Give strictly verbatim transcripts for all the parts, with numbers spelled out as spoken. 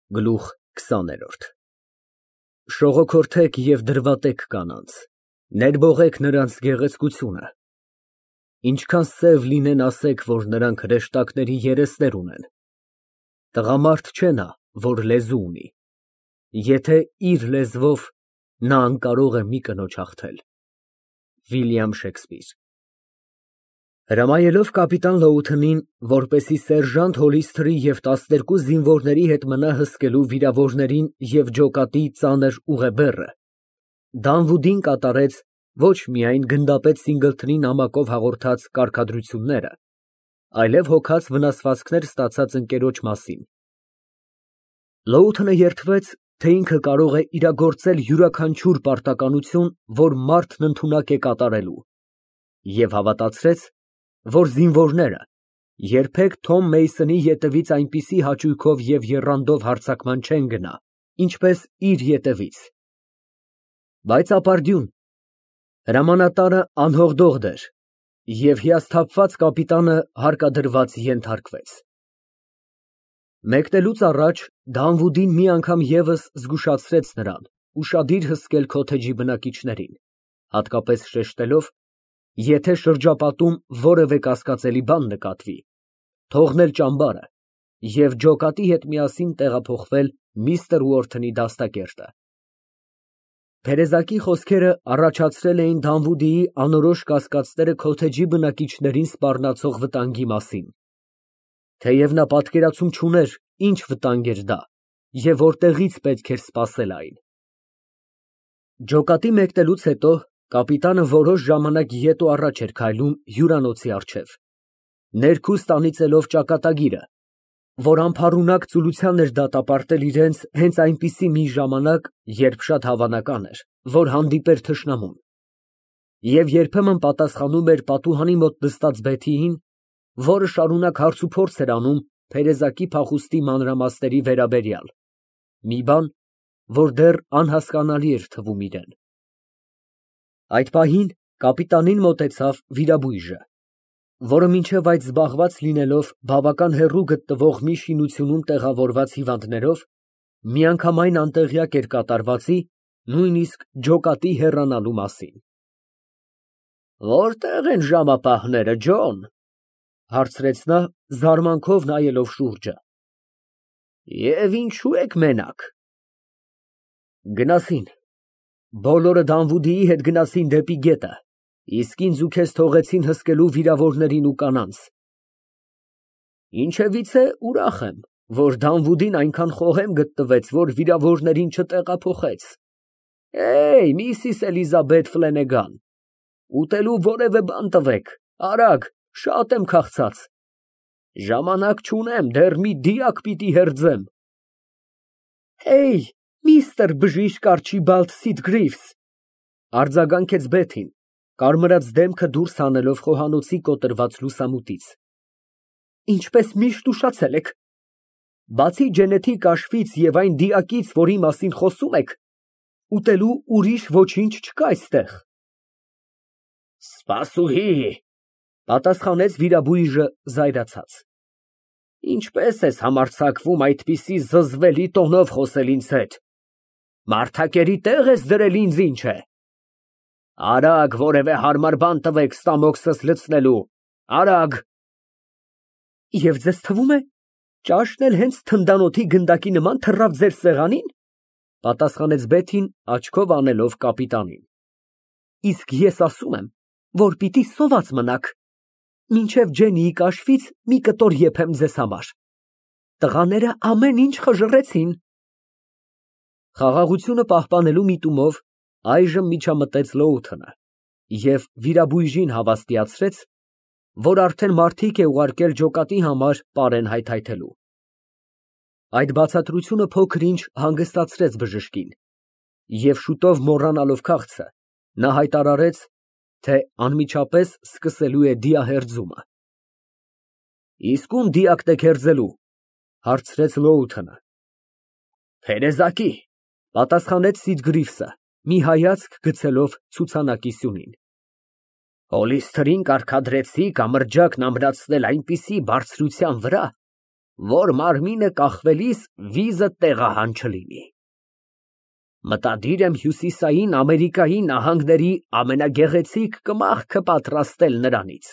Գլուխ քսաներորդ Շողոքորթեք և դրվատեք կանանց, ներբողեք նրանց գեղեցկությունը, ինչքան սև լինեն, ասեք, որ նրանք հրեշտակների երեսներ ունեն, տղամարդ չէ նա, որ լեզու ունի, եթե իր լեզվով նա անկարող է մի կնոջ հաղթել։ Վիլյամ Շեքսպիր Հրամայելով կապիտան Լոութընին, որպեսզի սերժանտ Հոլիսթերի և տասներկու զինվորների հետ մնա հսկելու վիրավորներին և ջոկատի ծանր ուղեբեռը, Դանվուդին կատարեց ոչ միայն գնդապետ Սինգլթոնի նամակով հաղորդած կարգադրությունները, այլև հոգած վնասվածքներ ստացած ընկերոջ մասին։ Լոութընը երդվեց, թե ինքը կարող է իրագործել յուրաքանչյուր պարտականություն, որ մարդն ընդունակ է կատարելու, և հավատացրեց, որ զինվորները երբեք Թոմ Մեյսոնի ետևից այնպիսի հաճույքով և եռանդով հարձակման չեն գնա, ինչպես իր ետևից։ Բայց ապարդյուն, հրամանատարը անհողդողդ էր, և հիասթափված կապիտանը հարկադրված ենթարկվեց։ Մեկնելուց առաջ Դանվուդին մի անգամ ևս զգուշացրեց նրան ուշադիր հսկել քոթեջի բնակիչներին, հատկապես շեշտելով, եթե շրջապատում որևէ կասկածելի բան նկատվի, թողնել ճամբարը և ջոկատի հետ միասին տեղափոխվել միստր Ուորթոնի դաստակերտը։ Թերեզակի խոսքերը առաջացրել էին Դանվուդիի անորոշ կասկածները քոթեջի բնակիչներին սպառնացող վտանգի մասին, թեև նա պատկերացում չուներ, ինչ վտանգ էր դա և որտեղից պետք էր սպասել այն։ Ջոկատի մեկնելուց հետո կապիտանը որոշ ժամանակ ետ ու առաջ էր քայլում հյուրանոցի առջև, ներքուստ անիծելով ճակատագիրը, որ անփառունակ ծուլության էր դատապարտել իրենց հենց այնպիսի մի ժամանակ, երբ շատ հավանական էր, որ հանդիպեր թշնամուն, և երբեմն պատասխանում էր պատուհանի մոտ նստած Բեթիին, որը շարունակ հարցուփորձ էր անում թերեզակի փախուստի մանրամասների վերաբերյալ, մի բան, որ դեռ անհասկանալի էր թվում իրան։ Այդ պահին կապիտանին մոտեցավ վիրաբույժը, որը մինչև այդ զբաղված լինելով բավական հեռու գտնվող մի շինությունում տեղավորված հիվանդներով, միանգամայն անտեղյակ էր կատարվածի, նույնիսկ ջոկատի հեռանալու մասին։ «Որտե՞ղ են ժամապահները, Ջոն», ֊ հարցրեց նա, զարմանքով նայելով շուրջը։ «Եվ ինչո՞ւ եք մենակ»։ Գնացին։ Բոլորը Դանվուդիի հետ գնացին դեպի գետը, իսկ ինձ ու քեզ թողեցին հսկելու վիրավորներին ու կանանց։ Ինչևիցե ուրախ եմ, որ Դանվուդին այնքան խոհեմ գտնվեց, որ վիրավորներին չտեղափոխեց։ Էյ, միսիս Էլիզաբեթ Ֆլենեգան, ուտելու որևէ բան տվեք, արագ, շատ եմ քաղցած։ Ժամանակ չունեմ, դեռ մի դիակ պիտի հերձեմ։ Հեյ, միստր բժիշկ Արջիբալդ Սիթգրիվս, արձագանքեց Բեթին, կարմրած դեմքը դուրս հանելով խոհանոցի կոտրված լուսամուտից։ Ինչպես միշտ ուշացել եք։ Բացի ջենեթիկ կաշվից և այն դիակից, որի մասին խոսում եք, ուտելու ուրիշ ոչինչ չկա այստեղ։ Սպասուհի, պատասխանեց վիրաբույժը զայրացած։ Ինչպես ես համարձակվում այդպիսի զզվելի տոնով խոսել ինձ հետ։ Մարդակերի տեղ ես դրել ինձ, ինչ է։ Արագ որևէ հարմար բան տվեք ստամոքսս լցնելու, արագ։ Եվ ձեզ թվում է, ճաշն էլ հենց թնդանոթի գնդակի նման թռավ ձեր սեղանին, պատասխանեց Բեթին, աչքով անելով կապիտանին։ Իսկ ես ասում եմ, որ պիտի սոված մնաք, մինչև Ջենիի կաշվից մի կտոր եփեմ ձեզ համար։ Տղաները ամեն ինչ խժռեցին։ Խաղաղությունը պահպանելու միտումով այժմ միջամտեց Լոութընը և վիրաբույժին հավաստիացրեց, որ արդեն մարդիկ է ուղարկել ջոկատի համար պարեն հայթայթելու։ Այդ բացատրությունը փոքր-ինչ հանգստացրեց բժշկին, և շուտով մոռանալով քաղցը, նա հայտարարեց, թե անմիջապես սկսելու է դիահերձումը։ Իսկ ում դիակն եք հերձելու, հարցրեց Լոութընը։ Թերեզակի, պատասխանեց Սիթգրիվսը, մի հայացք գցելով ցուցանակի սյունին։ Հոլիսթերին կարգադրեցի կամրջակն ամրացնել այնպիսի բարձրության վրա, որ մարմինը կախվելիս վիզը տեղահան չլինի։ Մտադիր եմ Հյուսիսային Ամերիկայի նահանգների ամենագեղեցիկ կմախքը պատրաստել նրանից։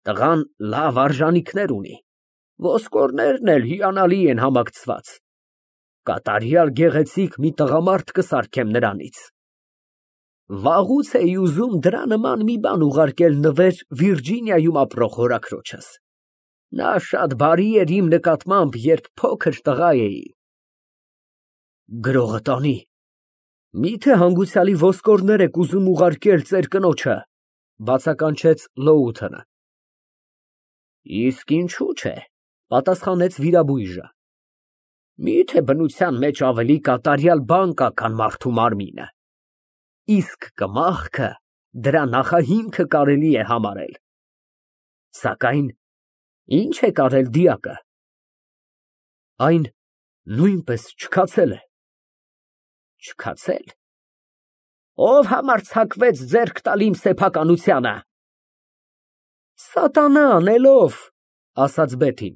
Տղան լավ արժանիքներ ունի, ոսկորներն էլ հիանալի են համակցված։ Կատարյալ գեղեցիկ մի տղամարդ կսարքեմ նրանից։ Վաղուց էի ուզում դրա նման մի բան ուղարկել նվեր Վիրջինիայում ապրող հորաքրոջս։ Նա շատ բարի էր իմ նկատմամբ, երբ փոքր տղա էի։ Գրողը տանի։ Միթե հանգուցյալի ոսկորներ եք ուզում ուղարկել ծեր կնոջը, բացականչեց Լոութենը։ Իսկ ինչու՞ չէ, պատասխանեց վիրաբույժը։ Միթե բնության մեջ ավելի կատարյալ բան կա, քան մարդու մարմինը։ Իսկ կմախքը դրա նախահիմքը կարելի է համարել։ Սակայն ինչ է կարել դիակը։ Այն նույնպես չքացել է։ Չքացել։ Ով համարձակվեց ձեռք տալ իմ սեփականությանը։ Սատանա անելով, ասաց Բեթին,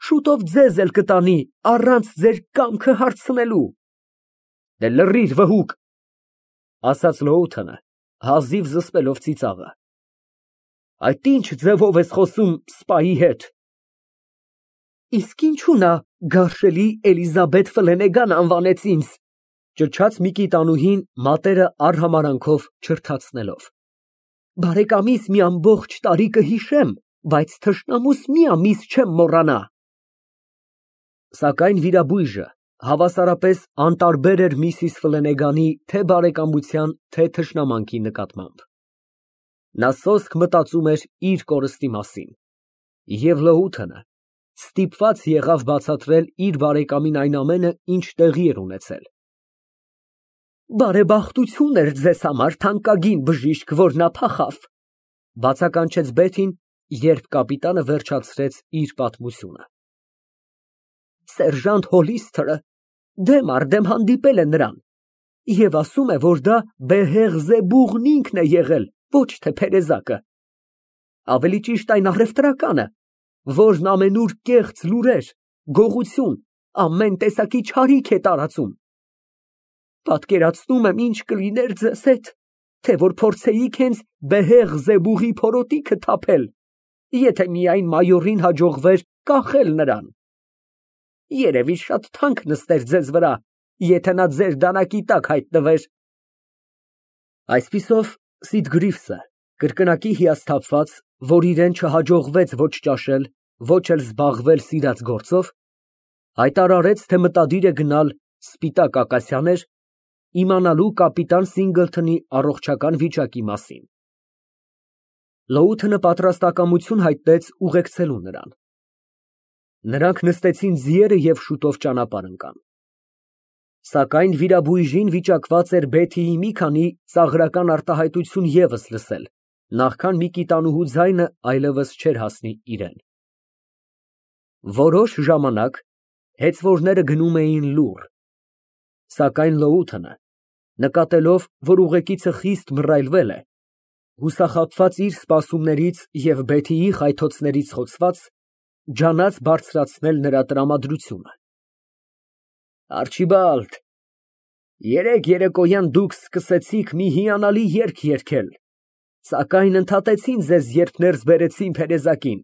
շուտով ձեզ էլ կտանի առանց ձեր կամքը հարցնելու։ Դե լռիր, վհուկ, ասաց Լոութենը, հազիվ զսպելով ծիծաղը։ Այդ ինչ ձևով ես խոսում սպայի հետ։ Իսկ ինչու նա գարշելի Էլիզաբեթ Ֆլենեգան անվանեց ինձ, ճչաց Միկիտանուհին մատերը արհամարանքով չրթացնելով։ Բարեկամիս մի ամբողջ տարի կհիշեմ, բայց թշնամուս մի ամիս չեմ մոռանա։ Սակայն վիրաբույժը հավասարապես անտարբեր էր միսիս Ֆլենեգանի թե բարեկամության, թե թշնամանքի նկատմամբ։ Նա սոսկ մտածում էր իր կորստի մասին, և Լոութենը ստիպված եղավ բացատրել իր բարեկամին այն ամենը, ինչ տեղի էր ունեցել։ Բարեբախտություն էր ձեզ համար, թանկագին բժիշկ, որ նա փախավ, բացականչեց Բեթին, երբ կապիտանը վերջացրեց իր պատմությունը։ Սերժանտ Հոլիսթերը դեմ առ դեմ հանդիպել է նրան և ասում է, որ դա Բեհեղզեբուղն ինքն է եղել, ոչ թե փերեզակը։ Ավելի ճիշտ այն առևտրականը, որն ամենուր կեղծ լուրեր, գողություն, ամեն տեսակի չարիք է տարածում։ Պատկերացնում եմ, ինչ կլիներ ձեզ հետ, թե որ փորձեիք հենց Բեհեղզեբուղի փորոտիքը թափել, եթե միայն մայորին հաջողվեր կախել նրան։ Երևի շատ թանկ նստեր ձեզ վրա, եթե նա ձեր դանակի տակ հայտնվեր։ Այսպիսով Սիդգրիֆսը, կրկնակի հիասթափված, որ իրեն չհաջողվեց ոչ ճաշել, ոչ էլ զբաղվել սիրած գործով, հայտարարեց, թե մտադիր է գնալ Սպիտակ ակասիաներ, իմանալու կապիտան Սինգլթոնի առողջական վիճակի մասին։ Լոութենը պատրաստակամություն հայտնեց ուղեկցելու նրան։ Նրանք նստեցին ձիերը և շուտով ճանապարհ ընկան։ Սակայն վիրաբույժին վիճակված էր Բեթիի մի քանի ծաղրական արտահայտություն ևս լսել, նախքան Միկիտանուհու ձայնը այլևս չէր հասնի իրեն։ Որոշ ժամանակ հեծվորները գնում էին լուռ, սակայն Լոութենը, նկատելով, որ ուղեկիցը խիստ մռայլվել է, հուսախաբված իր սպասումներից և Բեթիի խայթոցներից խոցված, ջանաց բարձրացնել նրա տրամադրությունը։ Արչիբալդ, երեկ երեկոյան դուք սկսեցիք մի հիանալի երգ երգել, սակայն ընդհատեցին ձեզ, երբ ներս բերեցին փերեզակին։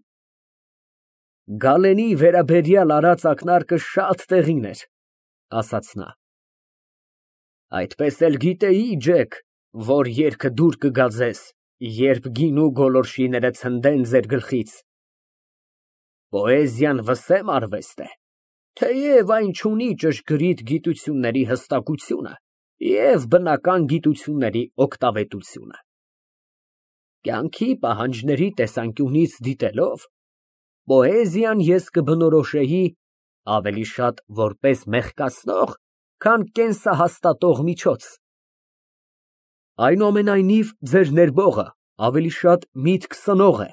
Գալենի վերաբերյալ արած ակնարկը շատ տեղին էր, ասաց նա։ Այդպես էլ գիտեի, Ջեք, որ երգը դուր կգա ձեզ, երբ գինու գոլորշիները ցնդեն ձեր գլխից։ Պոեզիան վսեմ արվեստ է, թեև այն չունի ճշգրիտ գիտությունների հստակությունը և բնական գիտությունների օգտավետությունը։ Կյանքի պահանջների տեսանկյունից դիտելով, պոեզիան ես կբնորոշեի ավելի շատ որպես մեղկացնող, քան կենսահաստատող միջոց։ Այնուամենայնիվ, ձեր ներբողը ավելի շատ միտք սնող է։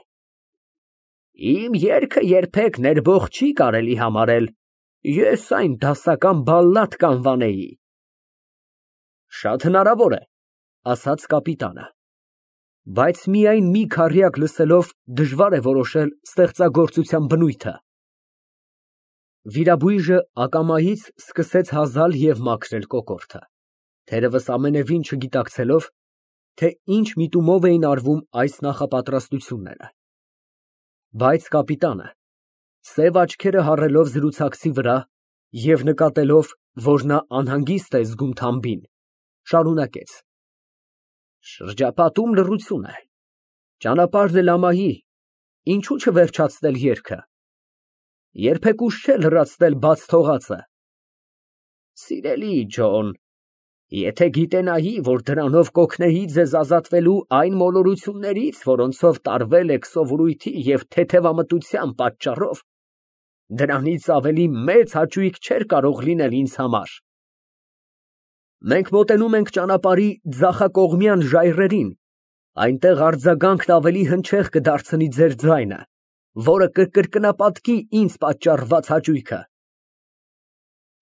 Իմ երգը երբեք ներբող չի կարելի համարել, ես այն դասական բալլադ կանվանեի։ Շատ հնարավոր է, ասաց կապիտանը, բայց միայն մի քառյակ լսելով դժվար է որոշել ստեղծագործության բնույթը։ Վիրաբույժը ակամայից սկսեց հազալ և մաքրել կոկորդը, թերևս ամենևին չգիտակցելով, թե ինչ միտումով էին արվում այս նախապատրաստությունները, բայց կապիտանը, սև աչքերը հառելով զրուցակցի վրա և նկատելով, որ նա անհանգիստ է զգում Թամբին, շարունակեց. Շրջապատում լռություն է, ճանապարհն էլ ամայի, ինչո՞ւ չվերջացնել երգը, երբեք ուշ չէ լրացնել բաց թողածը։ Սիրելի Ջոն, եթե գիտենայի, որ դրանով կօգնեի ձեզ ազատվելու այն մոլորություններից, որոնցով տարվել եք սովորույթի և թեթևամտության պատճառով, դրանից ավելի մեծ հաճույք չէր կարող լինել ինձ համար։ Մենք մոտենում ենք ճանապարհի ձախակողմյան ժայռերին, այնտեղ արձագանքն ավելի հնչեղ կդարձնի ձեր ձայնը, որը կկրկնապատկի ինձ պատճառված հաճույքը։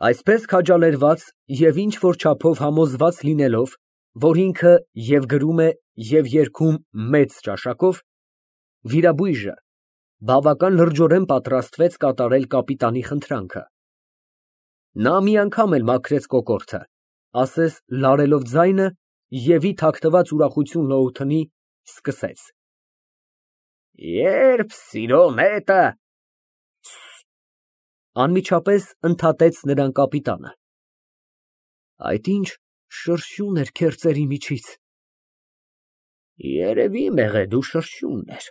Այսպես քաջալերված և ինչ֊որ չափով համոզված լինելով, որ ինքը և գրում է, և երգում մեծ ճաշակով, վիրաբույժը բավական լրջորեն պատրաստվեց կատարել կապիտանի խնդրանքը։ Նա մի անգամ էլ մաքրեց կոկորդը, ասես լարելով ձայնը և ի թաքնված ուրախություն լոութնի, սկսեց. Երբ սիրո նետը… Անմիջապես ընդհատեց նրան կապիտանը. Այդ ինչ շրշյուն էր քերծերի միջից։ Երևի մեղեդու շրշյունն էր,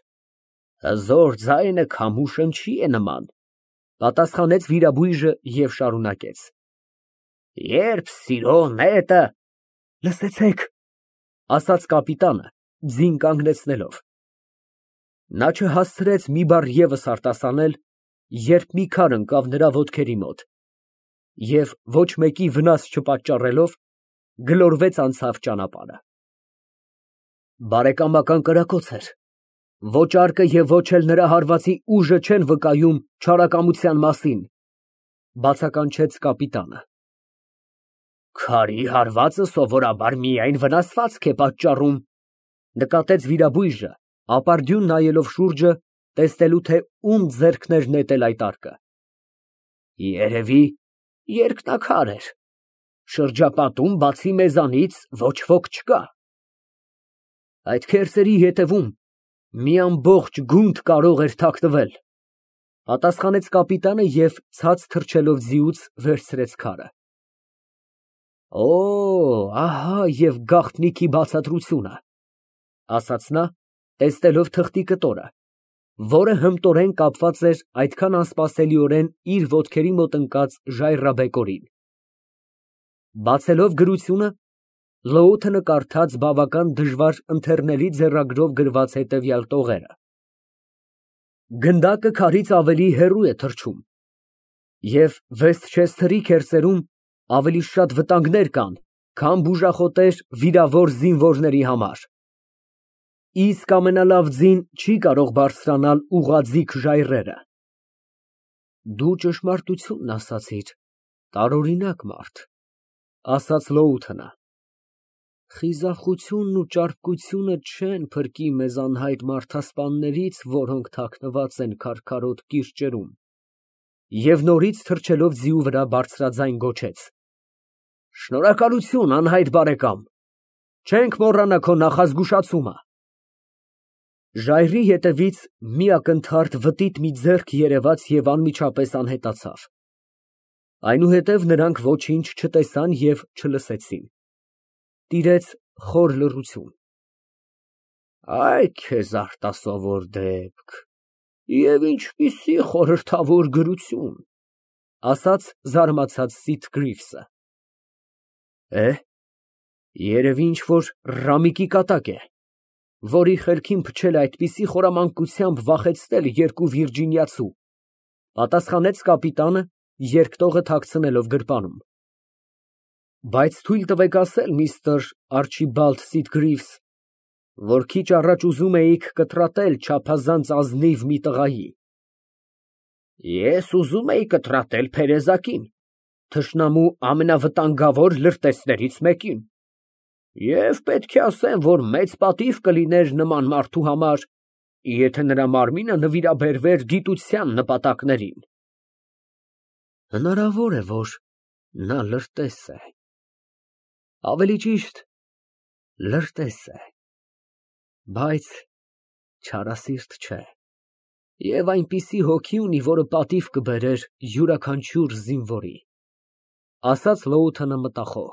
հզոր ձայնը քամու շնչի է նման, պատասխանեց վիրաբույժը և շարունակեց. Երբ սիրո նետը… Լսեցեք, ասաց կապիտանը, ձին կանգնեցնելով։ Նա չհասցրեց մի բառ ևս արտասանել, երբ մի քար ընկավ նրա ոտքերի մոտ և, ոչ մեկի վնաս չպատճառելով, գլորվեց անցավ ճանապարհը։ Բարեկամական կրակոց էր, ոչ արկը և ոչ էլ նրա հարվածի ուժը չեն վկայում չարակամության մասին, բացականչեց կապիտանը։ Քարի հարվածը սովորաբար միայն վնասվածք է պատճառում, նկատեց վիրաբույժը, ապարդյուն նայելով շուրջը, տեսնելու, թե ում ձեռքն էր նետել այդ արկը։ Երևի երկնաքար էր, շրջապատում բացի մեզանից ոչ ոք չկա։ Այդ քերծերի ետևում մի ամբողջ գունդ կարող էր թաքնվել, պատասխանեց կապիտանը և ցած թռչելով ձիուց վերցրեց քարը։ Օ, ահա և գաղտնիքի բացատրությունը, ասաց նա, տեսնելով թղթի կտորը, որը հմտորեն կապված էր այդքան անսպասելիորեն իր ոտքերի մոտ ընկած ժայռաբեկորին։ Բացելով գրությունը, Լոութը կարդաց բավական դժվար ընթեռնելի ձեռագրով գրված հետևյալ տողերը. Գնդակը քարից ավելի հեռու է թռչում, և Վեսթչեսթերի քերծերում ավելի շատ վտանգներ կան, քան բուժախոտեր վիրավոր զինվորների համար, իսկ ամենալավ ձին չի կարող բարձրանալ ուղղաձիգ ժայռերը։ Դու ճշմարտությունն ասացիր, տարօրինակ մարդ, ասաց Լոութը։ Խիզախությունն ու ճարպկությունը չեն փրկի մեզ անհայտ մարդասպաններից, որոնք թաքնված են քարքարոտ կիրճերում, և նորից թռչելով ձիու վրա բարձրաձայն գոչեց. Շնորհակալություն, անհայտ բարեկամ, չենք մոռանա քո նախազգուշացումը։ Ժայռի ետևից մի ակնթարթ վտիտ մի ձեռք երևաց և անմիջապես անհետացավ։ Այնուհետև նրանք ոչինչ չտեսան և չլսեցին։ Տիրեց խոր լռություն։ Այ քեզ արտասովոր դեպք, և ինչպիսի խորհրդավոր գրություն, ասաց զարմացած Սիթգրիվսը։ Է, երևի ինչ֊որ ռամիկի կատակ է, որի խելքին փչել է այդպիսի խորամանկությամբ վախեցնել երկու վիրջինիացու, պատասխանեց կապիտանը, երկտողը թաքցնելով գրպանում։ Բայց թույլ տվեք ասել, միստր Արչիբալդ Սիթգրիվս, որ քիչ առաջ ուզում էիք կտրատել չափազանց ազնիվ մի տղայի։ Ես ուզում էի կտրատել փերեզակին, թշնամու ամենավտանգավոր լրտեսներից մեկին, և պետք է ասեմ, որ մեծ պատիվ կլիներ նման մարդու համար, եթե նրա մարմինը նվիրաբերվեր գիտության նպատակներին։ Հնարավոր է, որ նա լրտես է։ Ավելի ճիշտ, լրտես է, բայց չարասիրտ չէ, և այնպիսի հոգի ունի, որը պատիվ կբերեր յուրաքանչյուր զինվորի, ասաց Լոութենը մտախոհ։